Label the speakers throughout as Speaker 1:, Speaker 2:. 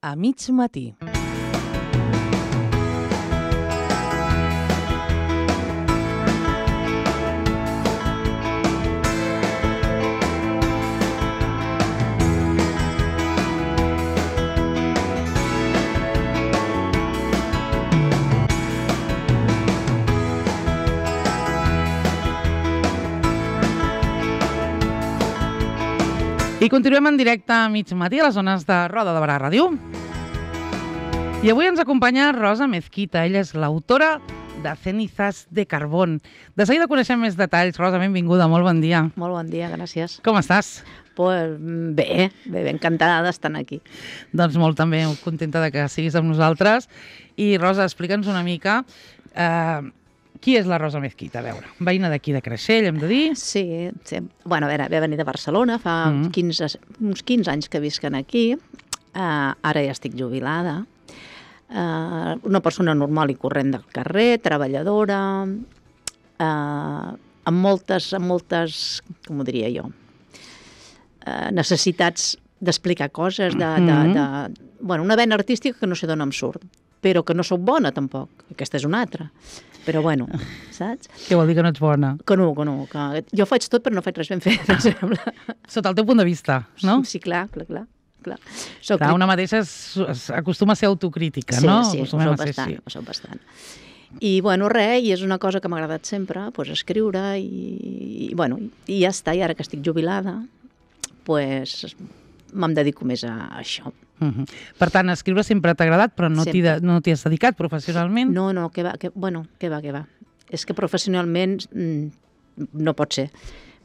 Speaker 1: a mig matí. I continuem en directe a mig matí a les zones de Roda de Barà Ràdio. I avui ens acompanya Rosa Mezquita. Ella és l'autora de Cenizas de Carbón. De seguida coneixem més detalls. Rosa, benvinguda, molt bon dia.
Speaker 2: Molt bon dia, gràcies.
Speaker 1: Com estàs?
Speaker 2: Pues bé, encantada d'estar aquí.
Speaker 1: Doncs molt també, contenta de que siguis amb nosaltres. I Rosa, explica'ns una mica qui és la Rosa Mezquita? A veure, veïna d'aquí de Creixell, hem de dir?
Speaker 2: Sí. Bueno, a veure, ve venir de Barcelona, fa uns 15 anys que visquen aquí. Ara ja estic jubilada. Una persona normal i corrent del carrer, treballadora, amb moltes, com ho diria jo, necessitats d'explicar coses, bueno, una vena artística que no sé d'on em surt, però que no sóc bona tampoc. Aquesta és una altra. Però bueno, saps?
Speaker 1: Què vol dir que no ets bona?
Speaker 2: Que no. Que jo faig tot però no faig res ben fet, em sembla.
Speaker 1: Sota el teu punt de vista, no?
Speaker 2: Sí, clar.
Speaker 1: Una mateixa acostuma a ser autocrítica, no?
Speaker 2: Sí, ho soc bastant. I bueno, i és una cosa que m'ha agradat sempre, escriure i ja està. I ara que estic jubilada, me'm dedico més a això.
Speaker 1: Per tant, escriure sempre t'ha agradat, però no t'hi has dedicat professionalment?
Speaker 2: No, què va. És que professionalment no pot ser,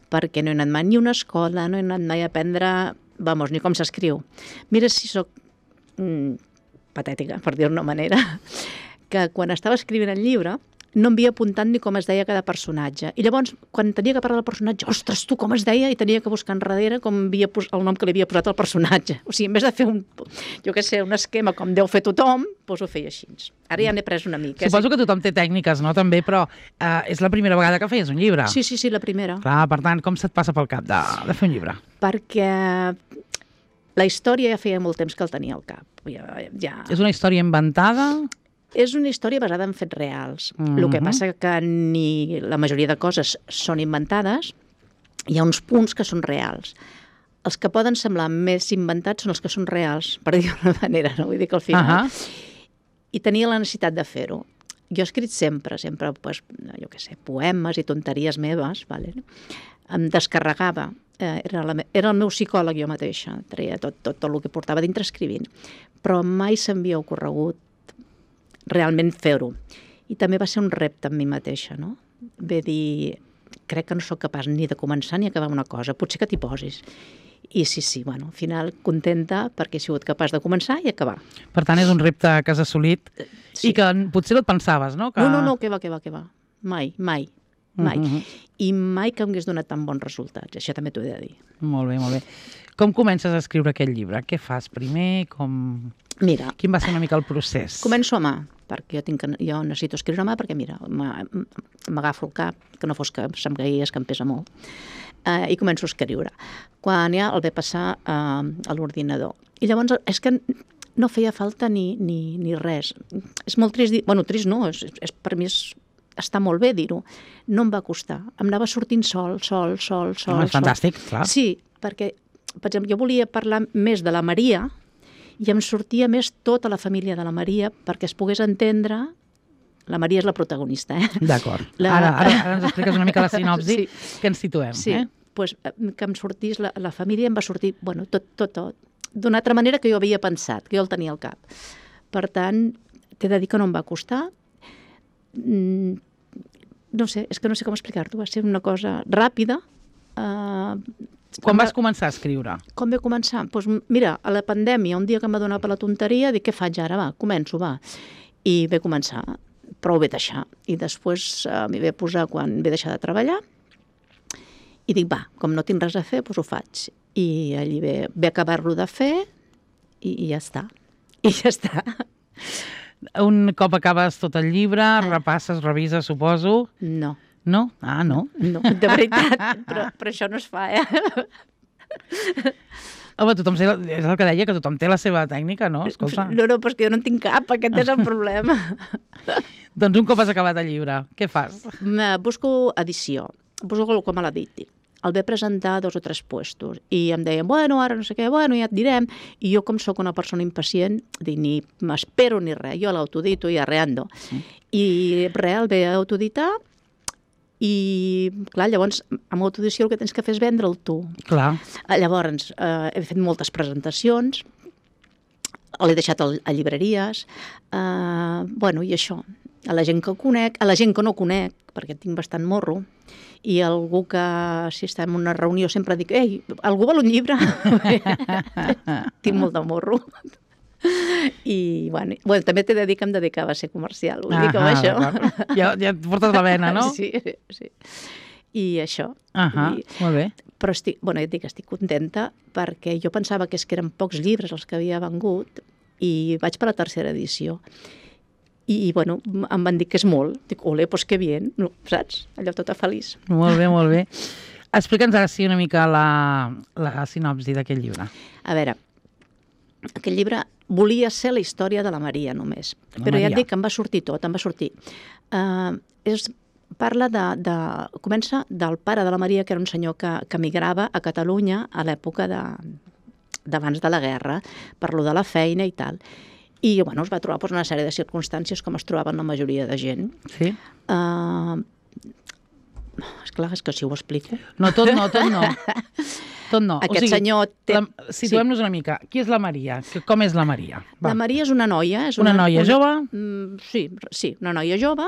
Speaker 2: perquè no he anat mai ni a una escola, no he anat mai a aprendre, ni com s'escriu. Mira si soc patètica, per dir-ho d'una manera, que quan estava escrivint el llibre no em havia apuntat ni com es deia cada personatge. I llavors, quan tenia que parlar del personatge, ostres, tu com es deia? I tenia que buscar enrere com el nom que li havia posat al personatge. O sigui, en vez de fer un esquema com deu fer tothom, ho feia així. Ara ja n'he pres una mica.
Speaker 1: Suposo que tothom té tècniques, no? També, però és la primera vegada que feies un llibre.
Speaker 2: Sí, la primera.
Speaker 1: Clar, per tant, com se't passa pel cap de fer un llibre?
Speaker 2: Perquè la història ja feia molt temps que el tenia al cap.
Speaker 1: És una història inventada?
Speaker 2: És una història basada en fets reals. El que passa que ni la majoria de coses són inventades, hi ha uns punts que són reals. Els que poden semblar més inventats són els que són reals, per dir-ho d'una manera, no? Vull dir que al final... I tenia la necessitat de fer-ho. Jo he escrit sempre, jo què sé, poemes i tonteries meves, em descarregava. Era el meu psicòleg jo mateixa, treia tot el que portava dintre escrivint, però mai s'havia ocorregut realment fer-ho. I també va ser un repte amb mi mateixa, no? Ve dir, crec que no sóc capaç ni de començar ni acabar una cosa, potser que t'hi posis. I sí, al final contenta perquè he sigut capaç de començar i acabar.
Speaker 1: Per tant, és un repte que has assolit i que potser no et pensaves, no?
Speaker 2: No, què va. Mai. I mai que m'hagués donat tan bons resultats, això també t'ho he de dir.
Speaker 1: Molt bé. Com comences a escriure aquest llibre? Què fas primer?
Speaker 2: Mira,
Speaker 1: quin va ser una mica el procés?
Speaker 2: Començo a mà, perquè jo necessito escriure a mà, perquè mira, m'agafo el cap, que no fos que se'm caigués, que em pesa molt, i començo a escriure. Quan ja el ve passar a l'ordinador. I llavors és que no feia falta ni res. És molt trist dir... Bueno, trist no, per mi està molt bé dir-ho. No em va costar. Em anava sortint sol.
Speaker 1: És fantàstic, clar.
Speaker 2: Sí, perquè, per exemple, jo volia parlar més de la Maria i em sortia més tota la família de la Maria perquè es pogués entendre... La Maria és la protagonista,
Speaker 1: D'acord. Ara ens expliques una mica la sinopsi, que ens situem.
Speaker 2: Sí, doncs que em sortís la família, em va sortir, tot, d'una altra manera que jo havia pensat, que jo el tenia al cap. Per tant, t'he de dir que no em va costar. No sé, és que no sé com explicar-t'ho, va ser una cosa ràpida.
Speaker 1: Quan vas començar a escriure?
Speaker 2: Com vaig començar? Doncs mira, a la pandèmia, un dia que em va donar per la tonteria, dic, què faig ara? Començo. I vaig començar, però ho vaig deixar. I després m'hi vaig posar quan vaig deixar de treballar i dic, com no tinc res a fer, doncs ho faig. I allí vaig acabar-lo de fer i ja està.
Speaker 1: Un cop acabes tot el llibre, repasses, revises, suposo?
Speaker 2: No.
Speaker 1: No? Ah, no?
Speaker 2: No, de veritat, però això no es fa,
Speaker 1: Home, és el que deia, que tothom té la seva tècnica, no? Escolta.
Speaker 2: No, però és que jo no en tinc cap, aquest és el problema.
Speaker 1: Doncs un cop has acabat el llibre, què fas?
Speaker 2: Busco edició, busco com a l'editi. El ve presentar 2 o 3 puestos i em deien, bueno, ara no sé què, bueno, ja et direm. I jo, com sóc una persona impacient, dic, ni m'espero ni res, jo l'autodito i arreando. I res, el ve a autoditar i, clar, llavors, amb autoedició el que tens que fer és vendre'l tu.
Speaker 1: Clar.
Speaker 2: Llavors, he fet moltes presentacions, l'he deixat a llibreries, bueno, i això, a la gent que conec, a la gent que no conec, perquè tinc bastant morro, i algú que, si està en una reunió, sempre dic, ei, algú vol un llibre? Tinc molt de morro. I, bueno, també t'he de dir que em dedicava a ser comercial, vull dir que amb això...
Speaker 1: Ja et portes la vena, no?
Speaker 2: Sí. I això.
Speaker 1: Molt bé.
Speaker 2: Però ja et dic, estic contenta perquè jo pensava que eren pocs llibres els que havia vengut i vaig per la 3a edició. I, bueno, em van dir que és molt. Dic, ole, doncs que bien, no, saps? Allò tota feliç.
Speaker 1: Molt bé, molt bé. Explica'ns ara sí una mica la sinopsi d'aquest llibre.
Speaker 2: A veure, aquest llibre volia ser la història de la Maria només, però ja et dic que em va sortir tot, em va sortir. Comença del pare de la Maria, que era un senyor que emigrava a Catalunya a l'època d'abans de la guerra, per lo de la feina i tal. I, bueno, es va trobar una sèrie de circumstàncies com es trobaven la majoria de gent.
Speaker 1: Sí.
Speaker 2: Esclar, és que si ho explico...
Speaker 1: No, tot no. Tot no.
Speaker 2: Aquest senyor té...
Speaker 1: Situem-nos una mica. Qui és la Maria? Com és la Maria?
Speaker 2: La Maria és una noia.
Speaker 1: Una noia jove?
Speaker 2: Sí, una noia jove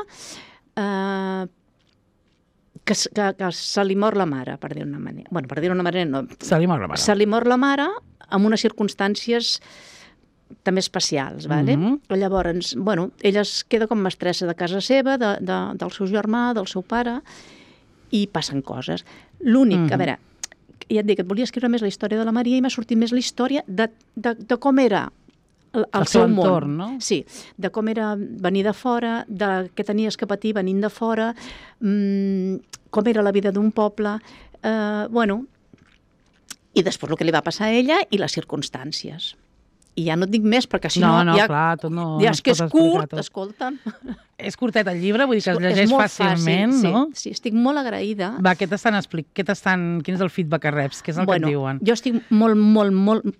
Speaker 2: que se li mor la mare, per dir una manera. Bueno, per dir una manera no.
Speaker 1: Se li mor la mare.
Speaker 2: Se li mor la mare amb unes circumstàncies també especials, vale? Llavors, bueno, ella es queda com mestressa de casa seva, del seu germà, del seu pare, i passen coses. L'únic, a veure, ja et dic, et volia escriure més la història de la Maria i m'ha sortit més la història de com era el seu
Speaker 1: entorn,
Speaker 2: món.
Speaker 1: No?
Speaker 2: Sí, de com era venir de fora, de què tenies que patir venint de fora, com era la vida d'un poble, bueno, i després el que li va passar a ella i les circumstàncies. I ja no et dic més, perquè si no...
Speaker 1: No, clar, tot no...
Speaker 2: Ja és que és curt, escolta'm.
Speaker 1: És curtet el llibre, vull dir que es llegeix fàcilment, no?
Speaker 2: Sí, estic molt agraïda.
Speaker 1: Va, què t'estan explicant? Quin és el feedback que reps? Què és el que et diuen?
Speaker 2: Jo estic molt,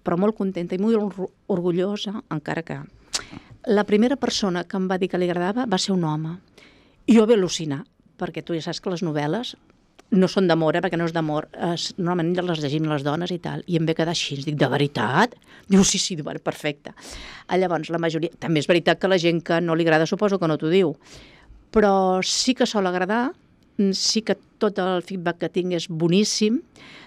Speaker 2: però molt contenta i molt orgullosa, encara que... La primera persona que em va dir que li agradava va ser un home. I jo vaig al·lucinar, perquè tu ja saps que les novel·les no són d'amor, perquè no és d'amor. Normalment les llegim les dones i tal. I em ve quedar així. Dic, de veritat? Diu, sí, perfecte. Llavors, la majoria... També és veritat que la gent que no li agrada suposo que no t'ho diu. Però sí que sol agradar. Sí que tot el feedback que tinc és boníssim.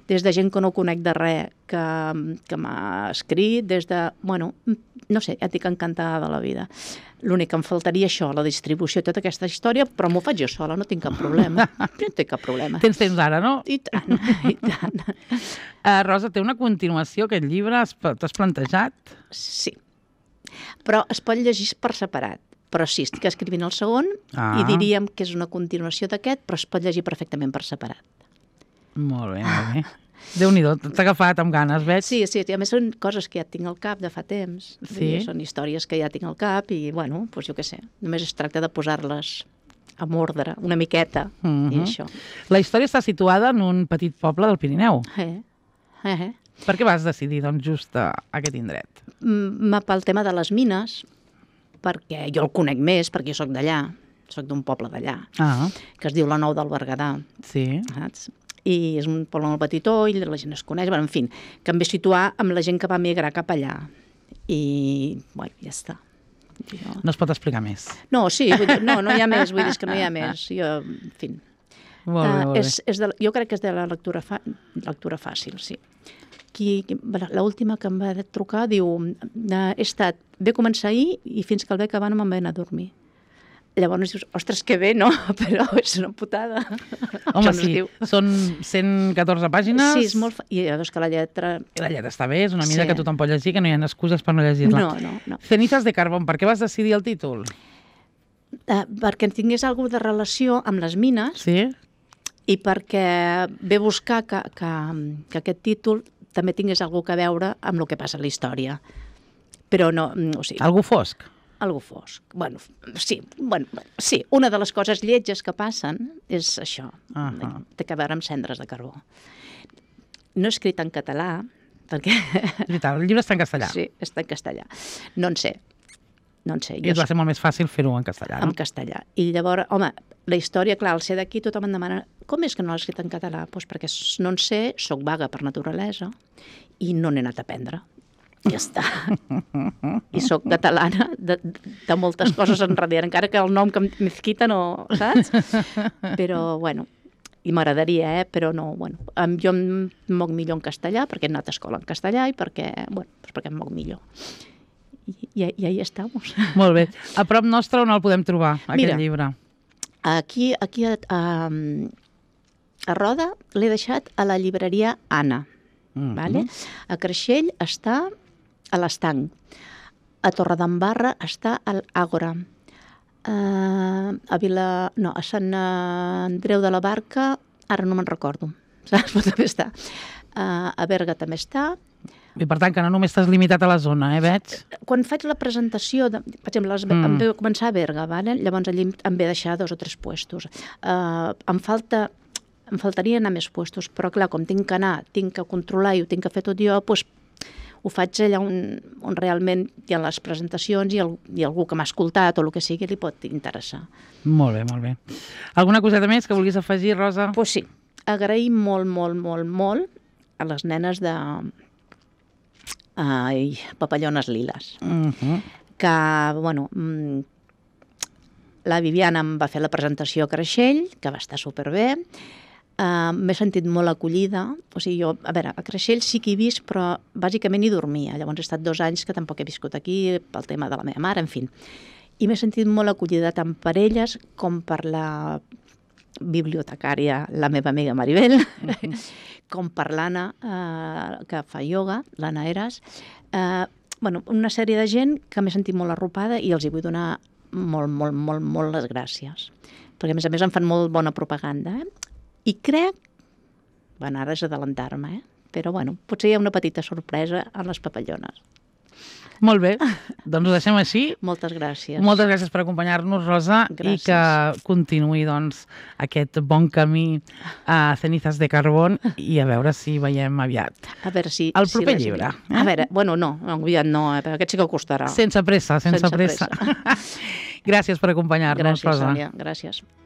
Speaker 2: Des de gent que no conec de res que m'ha escrit, des de... Bueno, no sé, ja et dic encantada de la vida. L'únic que em faltaria això, la distribució, tota aquesta història, però m'ho faig jo sola, no tinc cap problema. No tinc cap problema.
Speaker 1: Tens temps ara, no?
Speaker 2: I tant, i tant.
Speaker 1: Rosa, té una continuació, aquest llibre? T'has plantejat?
Speaker 2: Sí, però es pot llegir per separat. Però sí, estic escrivint el segon i diríem que és una continuació d'aquest, però es pot llegir perfectament per separat.
Speaker 1: Molt bé, molt bé. Déu-n'hi-do, t'ha agafat amb ganes, veig?
Speaker 2: Sí, a més són coses que ja tinc al cap de fa temps.
Speaker 1: Sí?
Speaker 2: Són històries que ja tinc al cap i, bueno, doncs jo què sé, només es tracta de posar-les amb ordre, una miqueta, i això.
Speaker 1: La història està situada en un petit poble del Pirineu. Per què vas decidir, doncs, just a aquest indret?
Speaker 2: Pel tema de les mines, perquè jo el conec més, perquè jo soc d'allà, soc d'un poble d'allà, que es diu la Nou del Berguedà.
Speaker 1: Sí.
Speaker 2: Saps? I és un poble molt petitó i la gent es coneix, bueno, en fi, que em ve situar amb la gent que va migrar cap allà. I, bueno, ja està.
Speaker 1: No es pot explicar més.
Speaker 2: No, sí, vull dir, no hi ha més, vull dir que no hi ha més. Jo, en fi.
Speaker 1: Molt bé.
Speaker 2: Jo crec que és de la lectura fàcil, sí. L'última que em va trucar diu, ve començar ahir i fins que el ve acabar no me'n ve anar a dormir. Llavors dius, ostres, que bé, no? Però és una putada.
Speaker 1: Home, sí, són 114 pàgines.
Speaker 2: Sí, és molt... I llavors que la lletra...
Speaker 1: La lletra està bé, és una mida que tothom pot llegir, que no hi ha excuses per no llegir-la.
Speaker 2: No.
Speaker 1: Cenizas de carbón, per què vas decidir el títol?
Speaker 2: Perquè tingués alguna de relació amb les mines.
Speaker 1: Sí?
Speaker 2: I perquè ve buscar que aquest títol també tingués alguna cosa a veure amb el que passa a la història. Però no, o sigui...
Speaker 1: Algú fosc?
Speaker 2: Algú fosc. Bueno, sí, una de les coses lletges que passen és això, té a veure amb cendres de carbó. No he escrit en català, perquè...
Speaker 1: El llibre està en castellà.
Speaker 2: Sí, està en castellà. No en sé.
Speaker 1: I et va ser molt més fàcil fer-ho en castellà, no?
Speaker 2: En castellà. I llavors, home, la història, clar, al ser d'aquí tothom em demana com és que no l'has escrit en català? Doncs perquè no en sé, soc vaga per naturalesa i no n'he anat a aprendre. Ja està. I soc catalana de moltes coses en realitat, encara que el nom que Mezquita no, saps? Però, bueno, i m'agradaria, però no, bueno. Jo em moc millor en castellà, perquè he anat a escola en castellà i perquè em moc millor. I ahí estamos.
Speaker 1: Molt bé. A prop nostre on el podem trobar, aquest llibre?
Speaker 2: Aquí a Roda l'he deixat a la llibreria Anna. Vale? A Creixell està a l'Estanc. A Torredembarra està a l'Àgora. A Sant Andreu de la Barca, ara no me'n recordo. Saps? Però també està. A Berga també està.
Speaker 1: I per tant, que no només t'has limitat a la zona, veig?
Speaker 2: Quan faig la presentació, per exemple, em ve començar a Berga, llavors allí em ve deixar 2 o 3 puestos. Em faltaria anar més puestos, però clar, com tinc que anar, tinc que controlar i ho tinc que fer tot jo, doncs ho faig allà on realment hi ha les presentacions i algú que m'ha escoltat o el que sigui li pot interessar.
Speaker 1: Molt bé, molt bé. Alguna coseta més que vulguis afegir, Rosa?
Speaker 2: Doncs sí, agrair molt, molt, molt, molt a les nenes de Papallones Liles. Que, bueno, la Viviana em va fer la presentació a Creixell, que va estar superbé. M'he sentit molt acollida. O sigui, jo, a veure, a Creixell sí que he vist, però bàsicament hi dormia. Llavors he estat 2 anys que tampoc he viscut aquí pel tema de la meva mare, en fi. I m'he sentit molt acollida tant per elles com per la bibliotecària, la meva amiga Maribel, com per l'Anna, que fa ioga, l'Anna Eras. Una sèrie de gent que m'he sentit molt arropada i els hi vull donar molt les gràcies. Perquè, a més em fan molt bona propaganda. I crec, ara és adelantar-me, però potser hi ha una petita sorpresa en les papallones.
Speaker 1: Molt bé, doncs ho deixem així.
Speaker 2: Moltes gràcies.
Speaker 1: Moltes gràcies per acompanyar-nos, Rosa, i que continuï aquest bon camí a Cenizas de Carbón i a veure si veiem aviat el proper llibre.
Speaker 2: A veure, no, aviat no, aquest sí que costarà.
Speaker 1: Sense pressa. Gràcies per acompanyar-nos, Rosa.
Speaker 2: Gràcies, Sònia, gràcies.